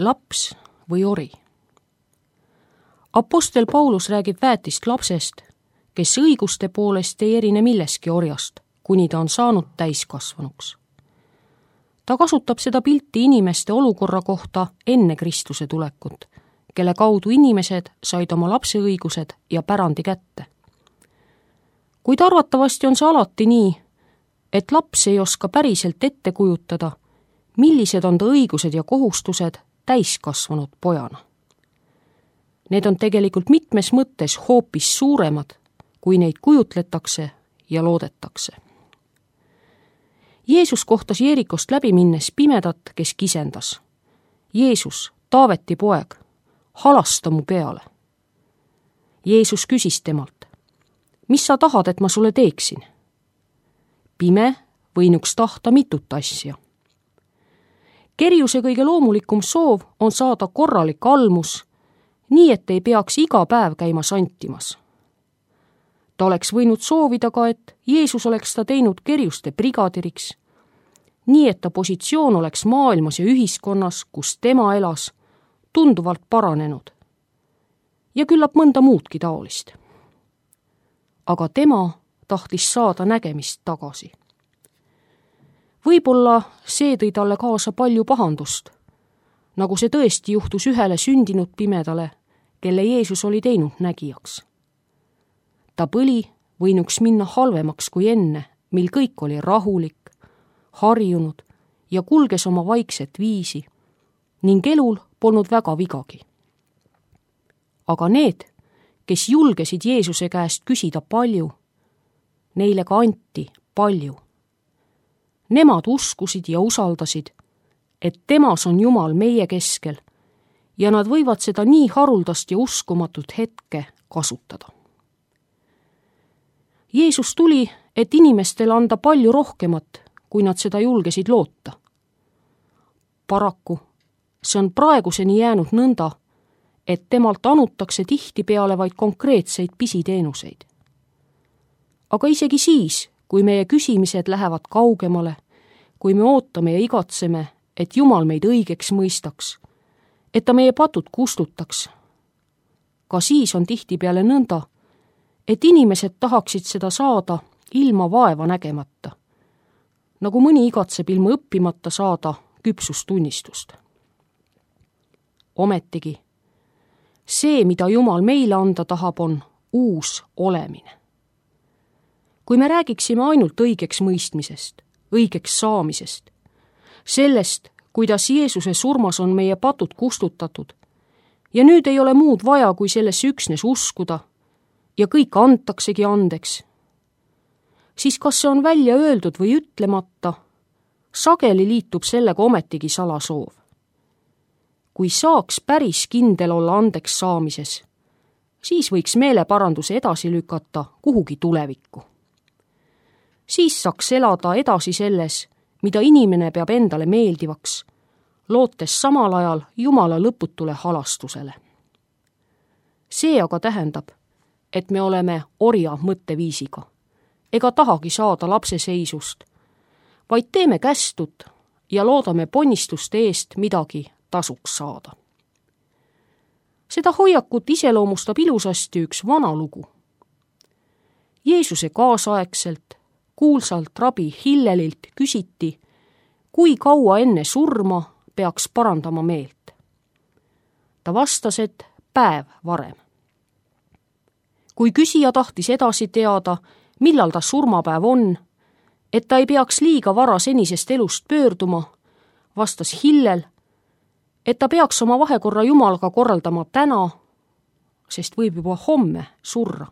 laps või ori? Apostel Paulus räägib väetist lapsest, kes õiguste poolest ei erine milleski orjast, kuni ta on saanud täiskasvanuks. Ta kasutab seda pilti inimeste olukorra kohta enne Kristuse tulekut, kelle kaudu inimesed said oma lapseõigused ja pärandi kätte. Kuid arvatavasti on see alati nii, et laps ei oska päriselt ette kujutada, millised on ta õigused ja kohustused täiskasvanud pojana. Need on tegelikult mitmes mõttes hoopis suuremad, kui neid kujutletakse ja loodetakse. Jeesus kohtas Jeerikost läbi minnes pimedat, kes kisendas. Jeesus, Taaveti poeg, halasta mu peale. Jeesus küsis temalt, mis sa tahad, et ma sulle teeksin? Pime võinuks tahta mitut asja. Kerjuse kõige loomulikum soov on saada korralik almus, nii et ei peaks iga päev käima santimas. Ta oleks võinud soovida ka, et Jeesus oleks ta teinud kerjuste brigadiriks, nii et ta positsioon oleks maailmas ja ühiskonnas, kus tema elas, tunduvalt paranenud. Ja küllap mõnda muudki taolist. Aga tema tahtis saada nägemist tagasi. Võib-olla see tõi talle kaasa palju pahandust, nagu see tõesti juhtus ühele sündinud pimedale, kelle Jeesus oli teinud nägijaks. Ta põli võinuks minna halvemaks kui enne, mil kõik oli rahulik, harjunud ja kulges oma vaikset viisi ning elul polnud väga vigagi. Aga need, kes julgesid Jeesuse käest küsida palju, neile ka anti palju. Nemad uskusid ja usaldasid, et temas on Jumal meie keskel ja nad võivad seda nii haruldast ja uskumatut hetke kasutada. Jeesus tuli, et inimestele anda palju rohkemat, kui nad seda julgesid loota. Paraku see on praeguseni jäänud nõnda, et temalt anutakse tihtipeale vaid konkreetseid pisiteenuseid. Aga isegi siis, kui meie küsimised lähevad kaugemale, kui me ootame ja igatseme, et Jumal meid õigeks mõistaks, et ta meie patud kustutaks, ka siis on tihtipeale nõnda, et inimesed tahaksid seda saada ilma vaeva nägemata, nagu mõni igatseb ilma õppimata saada küpsustunnistust. Ometigi, see, mida Jumal meile anda tahab, on uus olemine. Kui me räägiksime ainult õigeks mõistmisest, õigeks saamisest, sellest, kuidas Jeesuse surmas on meie patud kustutatud ja nüüd ei ole muud vaja, kui sellesse üksnes uskuda ja kõik antaksegi andeks, siis kas see on välja öeldud või ütlemata, sageli liitub sellega ometigi salasoov. Kui saaks päris kindel olla andeks saamises, siis võiks meeleparanduse edasi lükata kuhugi tulevikku. Siis saaks elada edasi selles, mida inimene peab endale meeldivaks, lootes samal ajal Jumala lõputule halastusele. See aga tähendab, et me oleme orja mõtteviisiga, ega tahagi saada lapseseisust, vaid teeme kästut ja loodame ponnistuste eest midagi tasuks saada. Seda hoiakut iseloomustab ilusasti üks vana lugu. Jeesuse kaasaegselt kuulsalt rabi Hillelilt küsiti, kui kaua enne surma peaks parandama meelt. Ta vastas, et päev varem. Kui küsija tahtis edasi teada, millal ta surmapäev on, et ta ei peaks liiga vara senisest elust pöörduma, vastas Hillel, et ta peaks oma vahekorra Jumalaga korraldama täna, sest võib juba homme surra.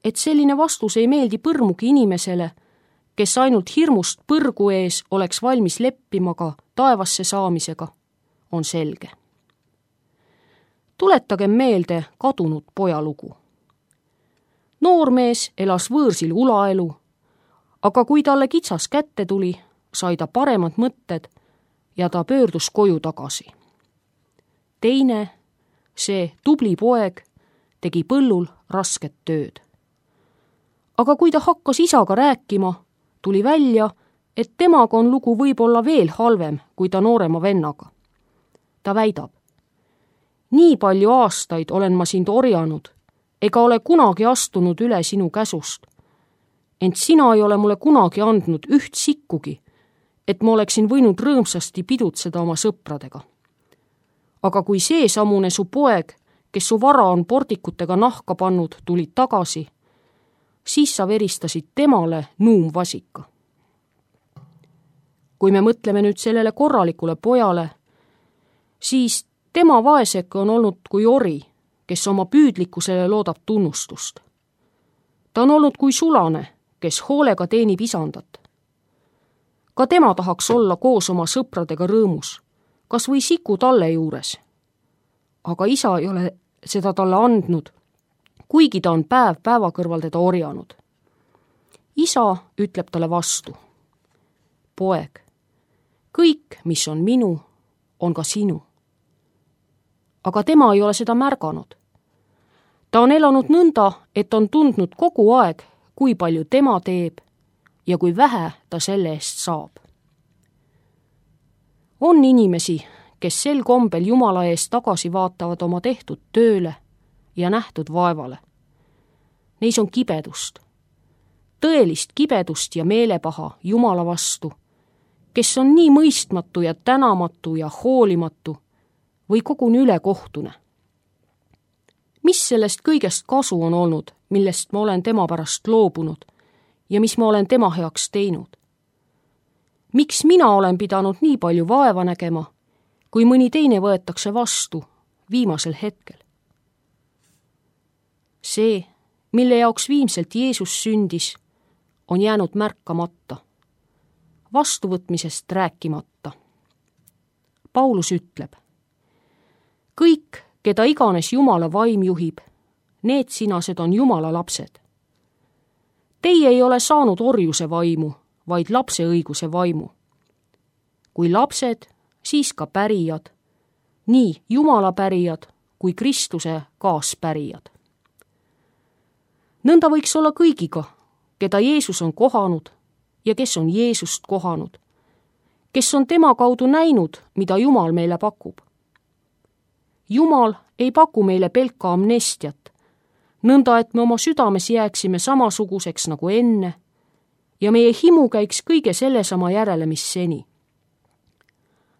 Et selline vastus ei meeldi põrmugi inimesele, kes ainult hirmust põrgu ees oleks valmis leppima ka taevasse saamisega, on selge. Tuletagem meelde kadunud poja lugu. Noormees elas võõrsil ulaelu, aga kui talle kitsas kätte tuli, sai ta paremad mõtted ja ta pöördus koju tagasi. Teine, see tubli poeg, tegi põllul rasket tööd. Aga kui ta hakkas isaga rääkima, tuli välja, et temaga on lugu võib-olla veel halvem kui ta noorema vennaga. ta väidab: nii palju aastaid olen ma sind orjanud, ega ole kunagi astunud üle sinu käsust. Ent sina ei ole mulle kunagi andnud üht sikkugi, et ma oleksin võinud rõõmsasti pidutseda oma sõpradega. Aga kui seesamune su poeg, kes su vara on pordikutega nahka pannud, tulid tagasi, siis sa veristasid temale nuumvasika. Kui me mõtleme nüüd sellele korralikule pojale, siis tema vaeseke on olnud kui ori, kes oma püüdlikkusele loodab tunnustust. Ta on olnud kui sulane, kes hoolega teenib isandat. Ka tema tahaks olla koos oma sõpradega rõõmus, kas või siku talle juures. Aga isa ei ole seda talle andnud, kuigi ta on päev päeva kõrval teda orjanud. Isa ütleb talle vastu: poeg, kõik, mis on minu, on ka sinu. Aga tema ei ole seda märganud. Ta on elanud nõnda, et on tundnud kogu aeg, kui palju tema teeb ja kui vähe ta selle eest saab. On inimesi, kes sel kombel Jumala eest tagasi vaatavad oma tehtud tööle ja nähtud vaevale. Neis on kibedust, tõelist kibedust ja meelepaha Jumala vastu, kes on nii mõistmatu ja tänamatu ja hoolimatu või koguni ülekohtune. Mis sellest kõigest kasu on olnud, millest ma olen tema pärast loobunud ja mis ma olen tema heaks teinud? Miks mina olen pidanud nii palju vaeva nägema, kui mõni teine võetakse vastu viimasel hetkel? See, mille jaoks viimselt Jeesus sündis, on jäänud märkamata, vastuvõtmisest rääkimata. Paulus ütleb: kõik, keda iganes Jumala vaim juhib, need sinased on Jumala lapsed. Teie ei ole saanud orjuse vaimu, vaid lapse õiguse vaimu. Kui lapsed, siis ka pärijad, nii Jumala pärijad kui Kristuse kaaspärijad. Nõnda võiks olla kõigiga, keda Jeesus on kohanud ja kes on Jeesust kohanud, kes on tema kaudu näinud, mida Jumal meile pakub. Jumal ei paku meile pelka amnestiat, nõnda et me oma südames jääksime samasuguseks nagu enne ja meie himu käiks kõige sellesama järele, mis seni.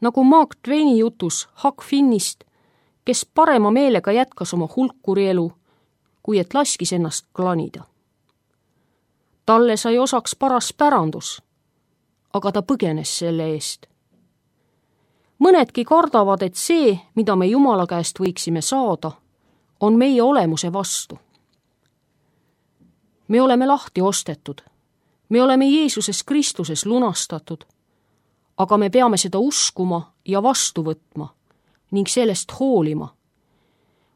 Nagu Mark Twaini jutus Huck Finnist, kes parema meelega jätkas oma hulkurielu, kui et laskis ennast klanida. Talle sai osaks paras pärandus, aga ta põgenes selle eest. Mõnedki kardavad, et see, mida me Jumala käest võiksime saada, on meie olemuse vastu. Me oleme lahti ostetud, me oleme Jeesuses Kristuses lunastatud, aga me peame seda uskuma ja vastu võtma ning sellest hoolima.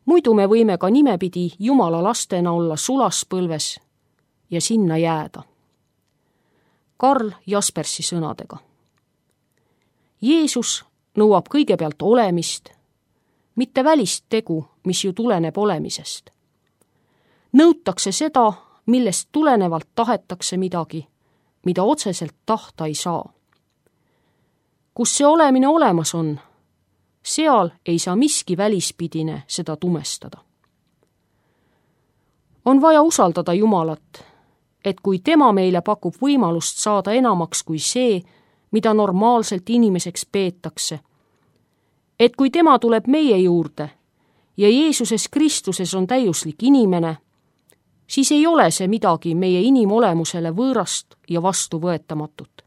Muidu me võime ka nimepidi Jumala lastena olla sulaspõlves ja sinna jääda. Karl Jaspersi sõnadega. Jeesus nõuab kõigepealt olemist, mitte välist tegu, mis ju tuleneb olemisest. Nõutakse seda, millest tulenevalt tahetakse midagi, mida otseselt tahta ei saa. Kus see olemine olemas on, seal ei saa miski välispidine seda tumestada. On vaja usaldada Jumalat, et kui tema meile pakub võimalust saada enamaks kui see, mida normaalselt inimeseks peetakse, et kui tema tuleb meie juurde ja Jeesuses Kristuses on täiuslik inimene, siis ei ole see midagi meie inimolemusele võõrast ja vastuvõetamatut.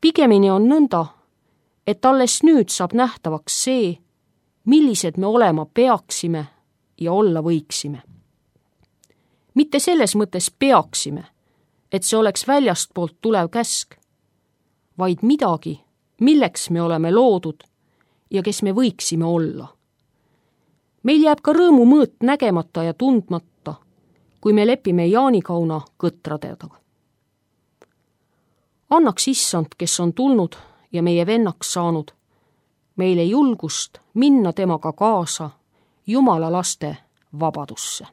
Pigemini on nõnda, et alles nüüd saab nähtavaks see, millised me olema peaksime ja olla võiksime. Mitte selles mõttes peaksime, et see oleks väljastpoolt tulev käsk, vaid midagi, milleks me oleme loodud ja kes me võiksime olla. Meil jääb ka rõõmu mõõt nägemata ja tundmata, kui me lepime jaanikauna kõtradega. Annaks issand, kes on tulnud ja meie vennaks saanud, meile julgust minna temaga kaasa Jumala laste vabadusse.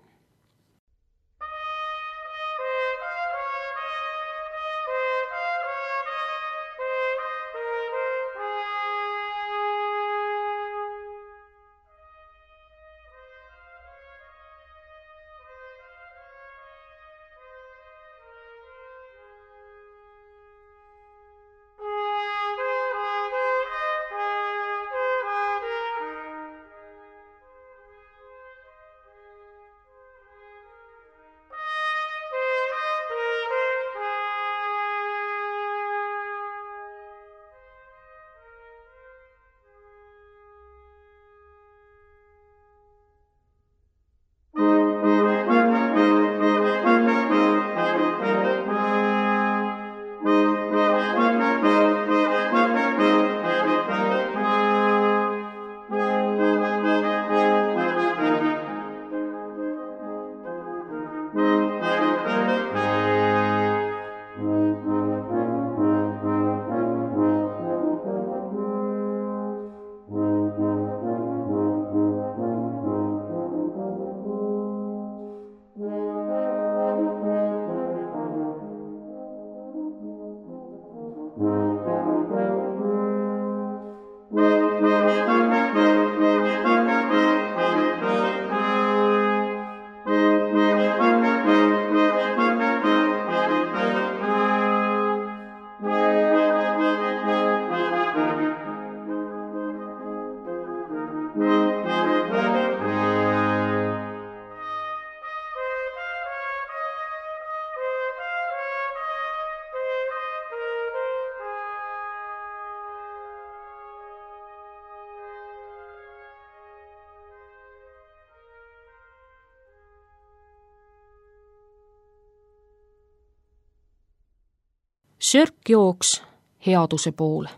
Sörk jooks headuse poole.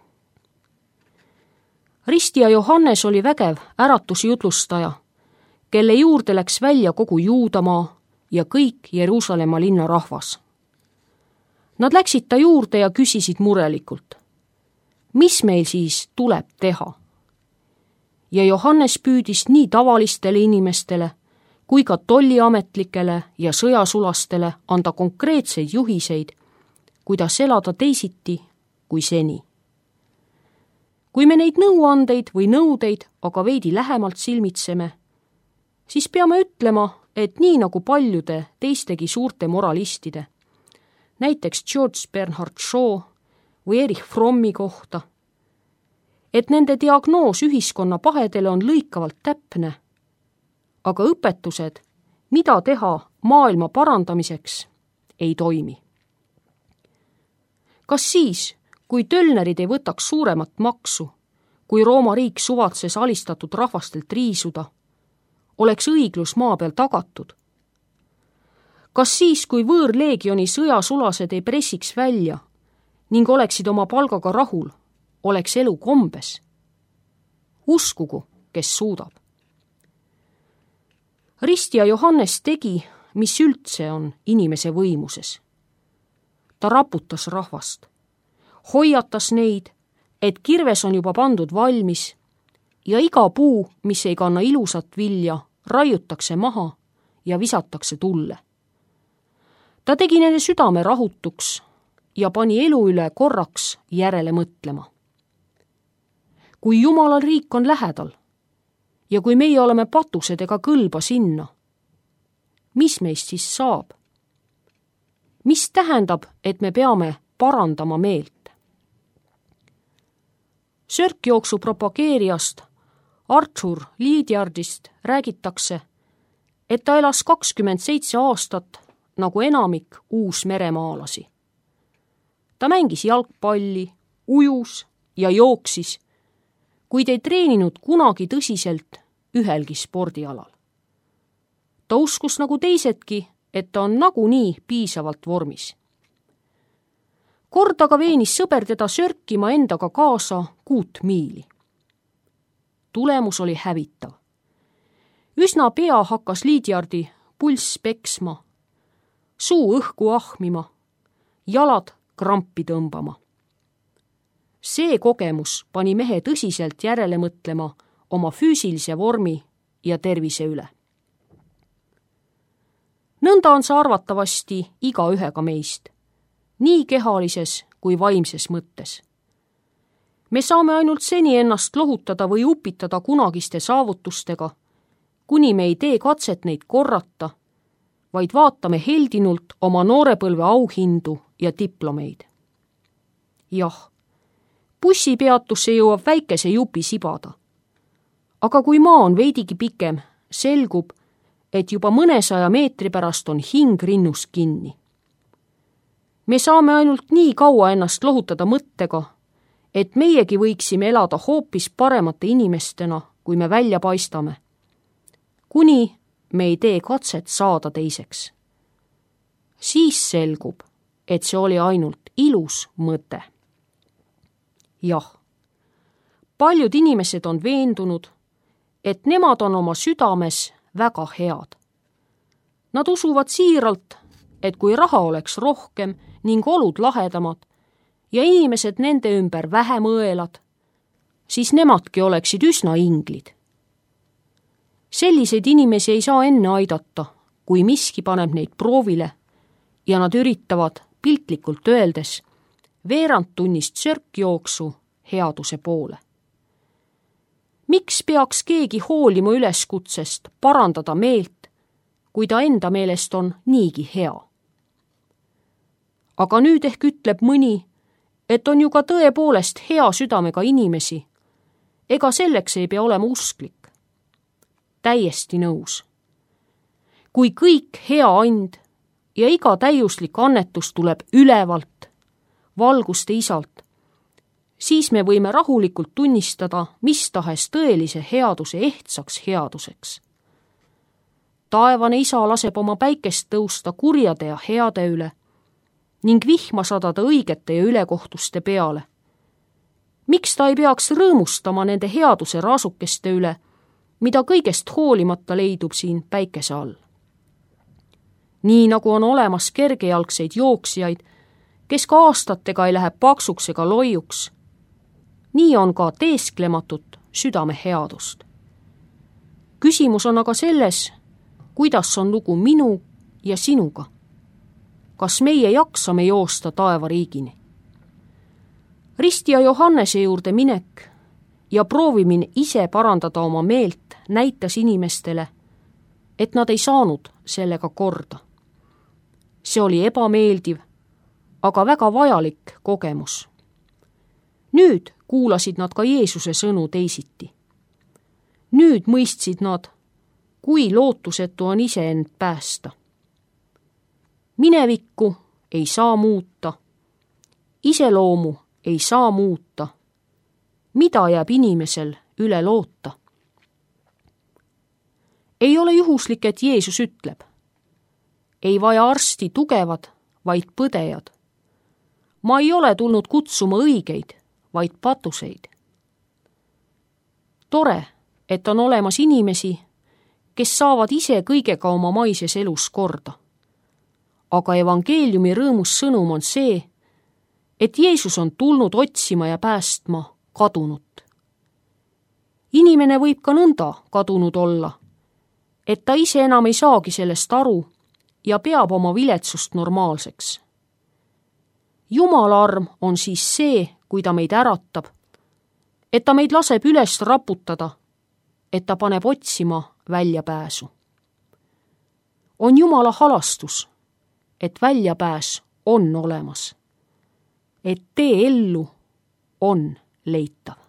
Risti ja Johannes oli vägev äratusjutlustaja, kelle juurde läks välja kogu Juudamaa ja kõik Jeruusalemma linna rahvas. Nad läksid ta juurde ja küsisid murelikult, mis meil siis tuleb teha? Ja Johannes püüdis nii tavalistele inimestele kui ka tolliametlikele ja sõjasulastele anda konkreetseid juhiseid, kuidas elada teisiti kui seni. Kui me neid nõuandeid või nõudeid aga veidi lähemalt silmitseme, siis peame ütlema, et nii nagu paljude teistegi suurte moralistide, näiteks George Bernard Shaw või Erich Frommi kohta, et nende diagnoos ühiskonna pahedele on lõikavalt täpne, aga õpetused, mida teha maailma parandamiseks, ei toimi. Kas siis, kui tölnerid ei võtaks suuremat maksu, kui Rooma riik suvatses alistatud rahvastelt riisuda, oleks õiglus maa peal tagatud? Kas siis, kui võõrleegioni sõjasulased ei pressiks välja ning oleksid oma palgaga rahul, oleks elu kombes? Uskugu, kes suudab. Risti ja Johannes tegi, mis üldse on inimese võimuses. Ta raputas rahvast, hoiatas neid, et kirves on juba pandud valmis ja iga puu, mis ei kanna ilusat vilja, raiutakse maha ja visatakse tulle. Ta tegi nende südame rahutuks ja pani elu üle korraks järele mõtlema. Kui Jumala riik on lähedal ja kui meie oleme patused ega kõlba sinna, mis meist siis saab? Mis tähendab, et me peame parandama meelt? Sörkjooksu propageerijast Arthur Leadyardist räägitakse, et ta elas 27 aastat nagu enamik uusmeremaalasi. Ta mängis jalgpalli, ujus ja jooksis, kuid ei treeninud kunagi tõsiselt ühelgi spordialal. Ta uskus nagu teisedki, et ta on nagunii piisavalt vormis. Kord aga veenis sõber teda sörkima endaga kaasa 6 miili. Tulemus oli hävitav. Üsna pea hakkas Leadyardi pulss peksma, suu õhku ahmima, jalad krampi tõmbama. See kogemus pani mehe tõsiselt järele mõtlema oma füüsilise vormi ja tervise üle. Nõnda on see arvatavasti igaühega meist, nii kehalises kui vaimses mõttes. Me saame ainult seni ennast lohutada või upitada kunagiste saavutustega, kuni me ei tee katset neid korrata, vaid vaatame heldinult oma noorepõlve auhindu ja diplomeid. Jah, bussipeatusse jõuab väikese jupi sibada. Aga kui maa on veidigi pikem, selgub, et juba mõnesaja meetri pärast on hing rinnus kinni. Me saame ainult nii kaua ennast lohutada mõttega, et meiegi võiksime elada hoopis paremate inimestena, kui me välja paistame, kuni me ei tee katset saada teiseks. Siis selgub, et see oli ainult ilus mõte. Jah, paljud inimesed on veendunud, et nemad on oma südames väga head. Nad usuvad siiralt, et kui raha oleks rohkem ning olud lahedamad ja inimesed nende ümber vähem õelad, siis nemadki oleksid üsna inglid. Selliseid inimesi ei saa enne aidata, kui miski paneb neid proovile ja nad üritavad piltlikult öeldes veerandtunnist sörkjooksu headuse poole. Miks peaks keegi hoolima üleskutsest parandada meelt, kui ta enda meelest on niigi hea? Aga nüüd ehk ütleb mõni, et on ju ka tõepoolest hea südamega inimesi, ega selleks ei pea olema usklik. täiesti nõus. Kui kõik hea and ja iga täiuslik annetus tuleb ülevalt, valguste isalt, siis me võime rahulikult tunnistada mis tahes tõelise headuse ehtsaks headuseks. Taevane isa laseb oma päikest tõusta kurjade ja heade üle ning vihma sadada õigete ja ülekohtuste peale. Miks ta ei peaks rõõmustama nende headuse raasukeste üle, mida kõigest hoolimata leidub siin päikese all? Nii nagu on olemas kergejalgseid jooksjaid, kes ka aastatega ei lähe paksuks ega loiuks, nii on ka teesklematut südame headust. Küsimus on aga selles, kuidas on lugu minu ja sinuga. Kas meie jaksame joosta taevariigini? Ristija Johannese juurde minek ja proovimine ise parandada oma meelt näitas inimestele, et nad ei saanud sellega korda. See oli ebameeldiv, aga väga vajalik kogemus. Nüüd kuulasid nad ka Jeesuse sõnu teisiti. Nüüd mõistsid nad, kui lootusetu on iseend päästa. Minevikku ei saa muuta, iseloomu ei saa muuta. Mida jääb inimesel üle loota? Ei ole juhuslik, et Jeesus ütleb, ei vaja arsti tugevad, vaid põdejad. Ma ei ole tulnud kutsuma õigeid, vaid patuseid. Tore, et on olemas inimesi, kes saavad ise kõigega oma maises elus korda. Aga evangeeliumi rõõmus sõnum on see, et Jeesus on tulnud otsima ja päästma kadunut. Inimene võib ka nõnda kadunud olla, et ta ise enam ei saagi sellest aru ja peab oma viletsust normaalseks. Jumala arm on siis see, kui ta meid äratab, et ta meid laseb üles raputada, et ta paneb otsima väljapääsu. On Jumala halastus, et väljapääs on olemas, et tee ellu on leitav.